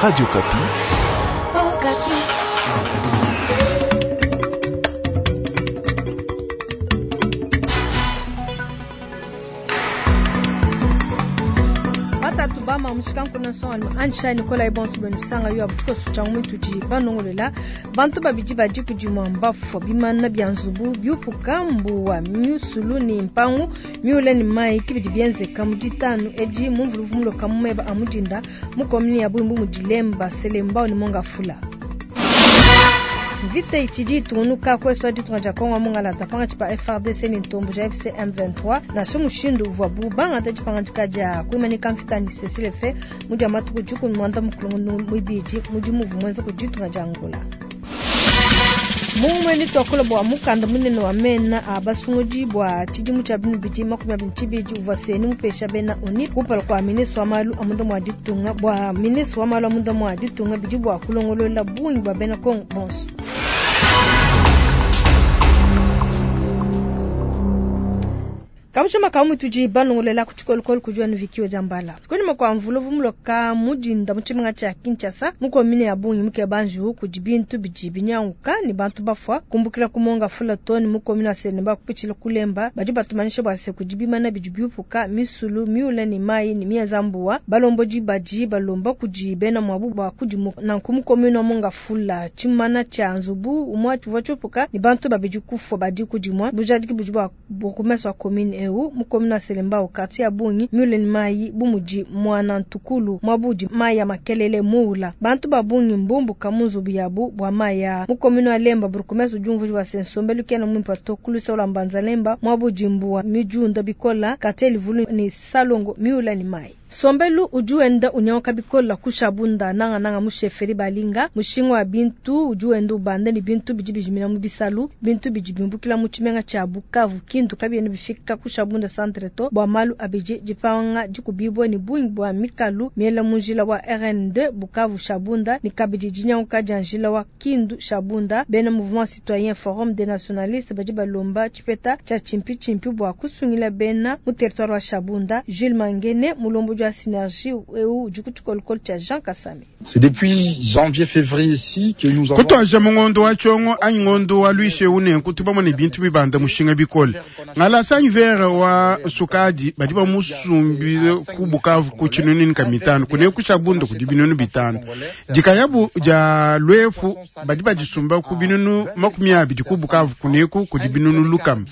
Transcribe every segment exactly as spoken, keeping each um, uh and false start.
Radio Okapi. Batatu bama mushikanku nsonga ansha Nikolai bonso benu sanga yo abutuko sucha mwitudi banongolela bantu babidi badi kudi mwamba bimana bya nzubu byupuka mbuwa myusulu ni mpangu myule ni mai kibidi byenzeka mu ditanu edi mumvuluvu muloka mumeba amudinda mukomini ya bwimbu mudilemba selemba ni monga fula. Mvita itshidi itungunuka kweswa ditunga dia Kongo mungalata pangatshi pa F R D C ni ntombo ja F C M vingt-trois nansha mushindu uvuabu bangata dipangadika dia kuimanyika mvita ni cessez-le-feu mudi ya matuku dikumi muanda mukulu muibidi mudimu uvua muenza ku ditunga dia Angola. Mumwe ni twakula bua mukanda munene wa mena a basungudi bua tshidimu tshia binu bidi makumi abidi tshibidi uvua seni mupesha bena oni kumpala kua ministre wa malu a munda mua ditunga bua ministre wa malu a munda mua ditunga bidi bua kulongolola bungi bua bena Kongo bonso. Kabuchama kamu tuji banongolela kuchikolokolo kujua ni vikio jambala. Kwenye makwa mvuluvu mloka mujinda muchimenga cha Kinshasa, muko mine ya bungi muke banju kujibintu biji binyanguka ni bantu bafwa kumbukila kumonga fula toni muko mine asenemba kupichila kulemba baji batumanisha bwase kujibimana bijibyupuka misulu miule ni mai ni mia zambuwa balomboji baji balomba kujibena mwabu bwa kujimu na nkumuko mine monga fula chimana cha nzubu umwa chuvochupuka ni bantu babiji kufwa badi kujimwa bujadiki bujibwa bukumeswa komine eu mukomina selemba okati ya bungi miule ni mai bumuji mwana ntukulu mwabudi mai ya makelele muula bantu babungi mbumbu kamunzubu yabu bwa mai ya mukomina lemba burukumeso jumvu wa sensombe lukena mwimpa tokulusa ola mbanza lemba mwabudi mbuwa mijunda bikola kateli vulu ni salongo miula ni mai Sombelu ujuenda unyoka bikola kushabunda nanga nanga musheferi balinga mushingo wa bintu ujuenda ubanda ni bintu bijibijimina mu bisalu bintu bijibimbukila mu chimenga cha Bukavu kindu kabiene bifika kushabunda centre to bwa malu abije jipanga jikubibwe ni bungi bwa mikalu miela munjila wa R N deux Bukavu Shabunda ni kabiji jinyanka janjila wa Kindu Shabunda bena mouvement citoyen forum des nationalistes baji balomba chipeta cha chimpi chimpi bwa kusungila bena mu territoire wa Shabunda Jules Mangene mulombo ya synergie eu jukutukolokolo cha Jean Kasami. C'est depuis janvier février ici que nous avons Kutwaja mungondo wa chongo anyi ngondo wa lwishe une nkutuba mone bintu bibanda mushinga bikole ngala sanyi vera wa sukadi badi ba musumbile ku Bukavu ku chinuni nka mitano kune ku Shabunda ku dibinunu bitano jikayabu ja lwefu badi bajisumba ku binunu makumi abidi ku Bukavu kune ku ku dibinunu lukam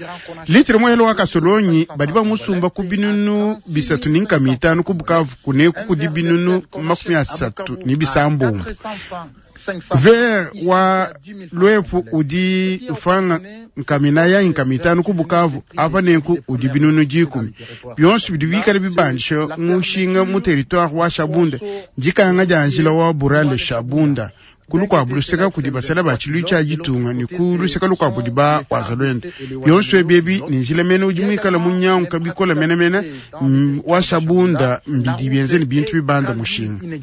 litre moyelo wa kasolonyi badi ba musumba ku binunu bisatu ninka mitano ku Bukavu kune ku dibinunu makumi asatu ni bisambumbu ver wa lwefu udi ufanga nkamina ya nkamitano ku Bukavu apa nenku udi binunu jikumi byonso bidi bikale bibanjisha mushinga mu territoire wa Shabunda njikanga janjila wa Burale Shabunda kulu luseka kudi basala ba chilu cha jitunga ni ku luseka lukwa budi ba wazalwende byonso ebyebi ni njila mene udi mwikala munyangu kabikola mene mene mm, wa Shabunda mbidi byenze ni bintu bibanda mushinga.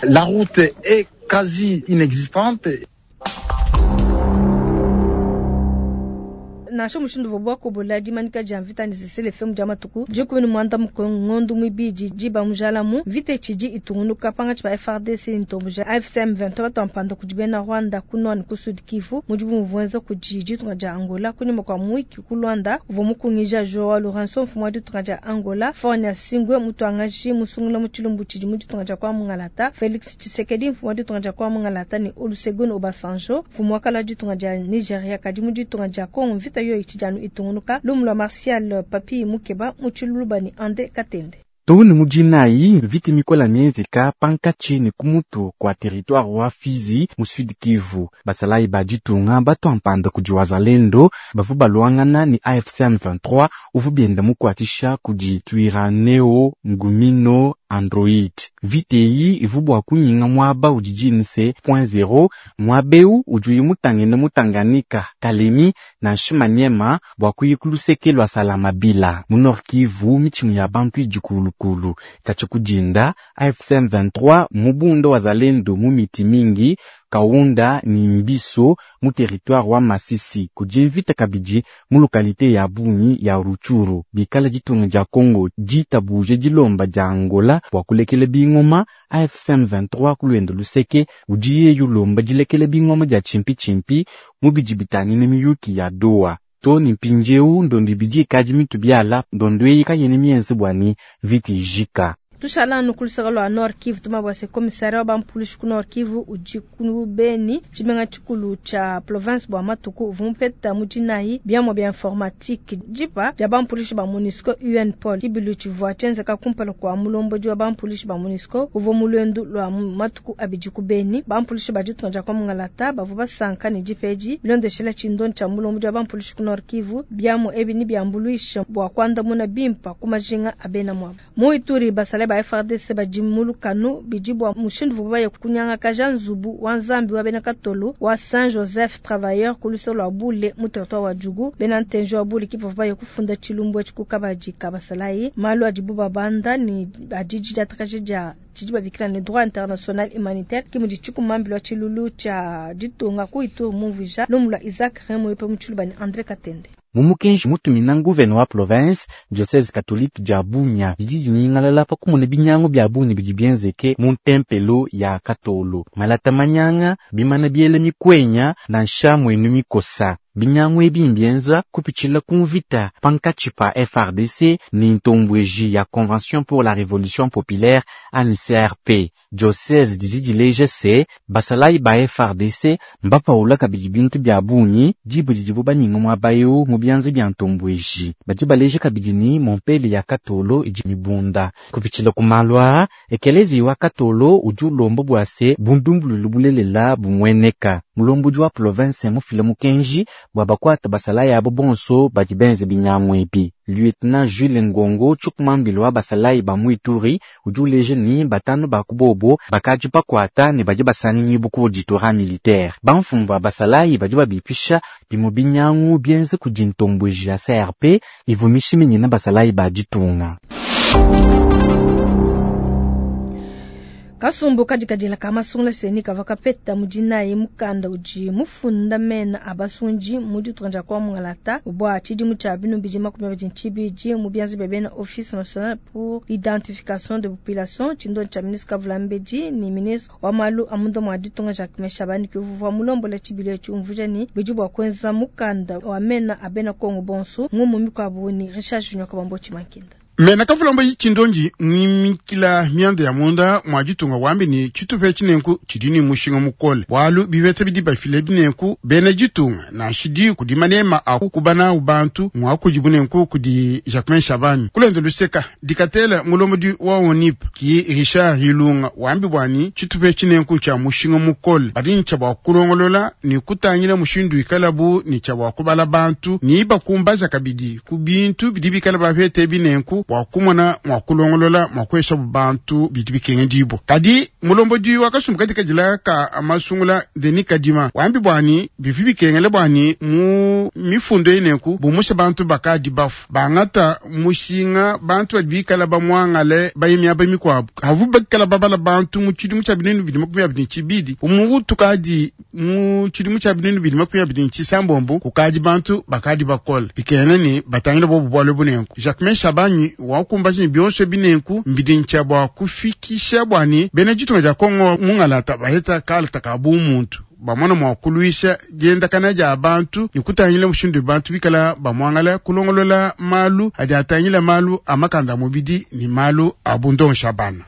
La route est quasi inexistante. Nansha mushindu vobwa kobola dimanika dia mvita ni cessez-le-feu mu dia matuku dikumi ni muanda mukulu ngondu muibidi diba mujalamu mvita itshidi itungunuka pangatshi pa F R D C ni ntombo ja A F C M vingt-trois batuampanda kudi bena Rwanda ku nord ku Sud Kivu mudibu muvuenza kudi ditunga dia Angola kunyima kua mwiki ku Luanda uvua mukungija Joao Lourenço mfumu wa ditunga dia Angola Faure Gnassingbé mutuangaji musungula mu tshilumbu tshidi mu ditunga dia kwa Mungalata Felix Tshisekedi mfumu wa ditunga dia kwa Mungalata ni Olusegun Obasanjo mfumu wa kala ditunga dia Nigeria kadi mu ditunga dia Congo mvita yo itshidi itungunuka lumu lwa Martial Papi Mukeba mu tshiluluba ni Ande Katende. Tuni mujinayi vita mikola mienzeka pankatshi ne kumutu kwa territoire wa Fizi mu Sud Kivu basalayi ba ditunga batwampanda kudi wazalendo bavu balwangana ni A F C M vingt-trois uvu bienda mukwatisha kudi Twirwaneho Ngumino Android vita eyi ivu bua kunyinga mwaba udi jinse point zero mwabeu udi mutangene mutanganyika Kalemi na Nshimaniema bua kuyikulu lwa Salamabila mu Nord Kivu michimu ya bantu idi kulukulu katshi kudinda A F C M vingt-trois mubunda wazalendo mu miti mingi Kaunda ni Mbiso mu territoire wa Masisi kudi mvita kabidi mu localité ya Bunyi ya Rutshuru bikala ditunga dia Congo ditabuje dilomba dia Angola. dilomba bua kulekela bingoma A F C M vingt-trois ku luende luseke udi yeye ulomba dilekela bingoma dia tshimpi-tshimpi mu bidi bitangila miyuki ya Doha. To ni mpindieu ndondo ibidi ikadi mitu biala ndondo eyi kayena mienze bua ni mvita ijika. Tushala nu kulusaka lwa Nord Kivu tumabwa se commissaire wa bampulishi ku Nord Kivu udi ku Beni tshimenga tshikulu tsha province bwa matuku uvua mupeta mu dinayi biamua bia informatique dipa dia bampulishi ba MONUSCO U N Paul tshibilu tshivua tshienzeka kumpala kua mulombodi wa bampulishi ba MONUSCO uvua mu luendu lua matuku abidi ku Beni. Bampulishi ba ditunga dia kwa Mungalata bavua basanka ne dipeji bilondeshela tshindonyi tshia mulombodi wa bampulishi ku Nord Kivu biamua ebi ni biambuluisha bua kuandamuna bimpa ku majinga a bena mwabo. Mu Ituri basale ba F R D C badi mu lukanu bidi bua mushindu uvuabu baye kunyangakaja nzubu wa Nzambi wa bena Katolo wa Saint Joseph Travailleur ku lusolo lua Bule mu territoire wa Djugu. Bena ntenji wa Bule ki bavua baye kufunda tshilumbu etshi ku kabadi ka basalayi. Malu adibu babanda ni adidi diatakaja dia tshidi babikila ne droit international humanitaire ki mudi tshikumambilwa tshilulu tshia ditunga ku Ituri mumvuija lumu lua Isaac Remoyope mu tshiluba ne André Katende. Mumukenji mutumina nguvene wa province diocese catholique dia Bunia didi dinyingalala pa kumona binyangu bia Bunia bidi bienzeke mu ntempelo ya Katolo. Malata manyanga bimana biele mikwenya nansha mwenu mikosa. Binyangu ebi mbienza kupitshila ku mvita pankatshi pa F R D C ni ntombweji ya Convention pour la Révolution Populaire A N C R P. Diocese didi dileja se basalayi ba F R D C mbapaula kabidi bintu bia bungi dibu didibu baninga muaba eu mu bianza bia ntombweji. Badi baleja kabidi ni mompele ya Katolo idi mibunda. Kupitshila ku malu aa, ekelezi wa Katolo udi ulomba bua se bundumbululu bulelela bumueneka. Mulombodi wa province mufile mukenji bua bakwata basalayi abo bonso badi benze binyangu ebi. Lieutenant Jules Ngongo tshikumambilo wa basalayi ba mu Ituri udi uleja ni batanu ba kubobo bakadi bakwata ne badi basanginyibu ku auditorat militaire. Bamfumu ba basalayi badi babipisha bimue binyangu bienze kudi ntombweji ya C R P ivumisha minyina basalayi ba ditunga. Kasumbu kadikadila ka masungula seni kava kapeta mudinayi mukanda udi mufunda mena abasunji mu ditunga dia kwa Mungalata bua tshidimu tshia binu bidi makumi abidi ntshibidi mu bianza bia bena Office National pour l'Identification de Population tshindonyi tshia ministre Kavulambedi ni ministre wa malu a munda mua ditunga Jacques Shabani kuvua mulombola tshibilu etshi umvuija ni bidi bua kuenza mukanda wa mena a bena Kongo bonso ngumu mikuabu ni Richard Junior Kabambo Tshimankinda. Mena kavulamba tshindonji mwimikila mianda ya munda mwa ditunga wambi ni tshitupa tshinenku tshidi ni mushinga mukole bwalu bivete bidi bafile binenku bena ditunga na shidi kudi manema a kubana ubantu mwa kudi bunenku kudi Jacquemain Shabani kulendo luseka dikatela mulombodi wa ONIP ki Richard Ilunga wambi bwani tshitupa tshinenku tsha mushinga mukole badi ni tsha kulongolola ni kutangila mushindu ikalabu ni tsha kubala bantu ni bakumbaza kabidi ku bintu bidi bikala bavete binenku bwa kumona mwa kulongolola mwa kwesha bantu bidi bikenge dibo. Kadi mulombodi wa kasumbu katika jila ka amasungula Denis Kadima wambi bwani bivi bikengele bwani mu mifundo inenku bumusha bantu bakadi bafu bangata mushinga bantu bikala bamwangale bayimya bamikwabo havu bakala babala bantu mu tshidimu tsha binenu bidi makumi abiri tshibidi umutu kadi mu tshidimu tsha binenu bidi makumi abiri tshisambombo kukadi bantu bakadi bakola bikengele ni batangile bobu bwale bunenku Jacquemain Shabani wakumbashi bionso binenku mbidincha bwa kufikisha bwani bena ditunga dia Kongo mungalata baheta kalata ka bumuntu bamona mwa kuluisha dienda kana ja bantu ni kutangila mushindu bantu bikala bamwangala kulongolola malu adi atangila malu amakanda mubidi ni malu abundon Shabana.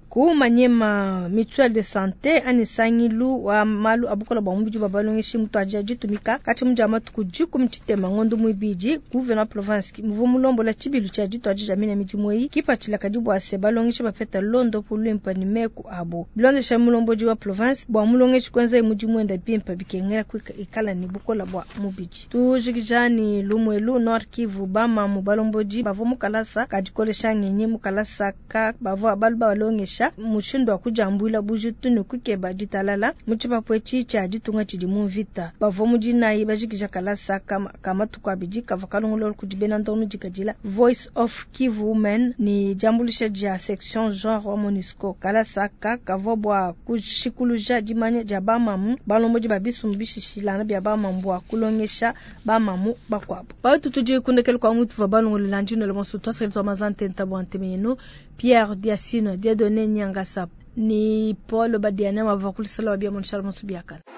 Ku Manyema mutuelle de santé ani sangilu wa malu abukola bwa mubidi bwa balongeshi mutwaja ditumika kati muja matuku dikumi tshitema ngondo muibidi gouverneur province muvu mulombola tshibilu tshia ditwaji ja mina midimu eyi kipatshila kadi bua se balongeshi bapeta londo pulwimpa ni meku abo bilondesha mulombodi wa province bua mulongeshi kwenza mudimu enda bimpa bikengela ikala ni bukola bwa mubidi tujikijani lumwelu Nord Kivu bama mu balombodi bavua mukalasa kadikolesha ngenyi mukalasa ka bavua balu balongesha kubalongesha mushindu wa kudiambuila bujitu ne kukeba ditalala mu tshipapu etshi tshia ditunga tshidi mu mvita. Bavua mu dinayi bajikija kalasa ka matuku abidi kavua kalongolola kudi bena ndongo dikadila Voice of Kivu Women ne diambuluisha dia section genre wa MONUSCO. Kalasa aka kavua bua kushikuluja dimanya dia bamamu balombodi ba bisumbu bishishilangana bia bamamu bua kulongesha bamamu bakuabu. Batu tudi kundekela kwa mutu va balongolola ndino le monso twasakela mazantenta bua nteme yenu Pierre Diasino Dieudonné Nyangasa ni Paul Badiane wava kulisala wa bia monshal monso biakala.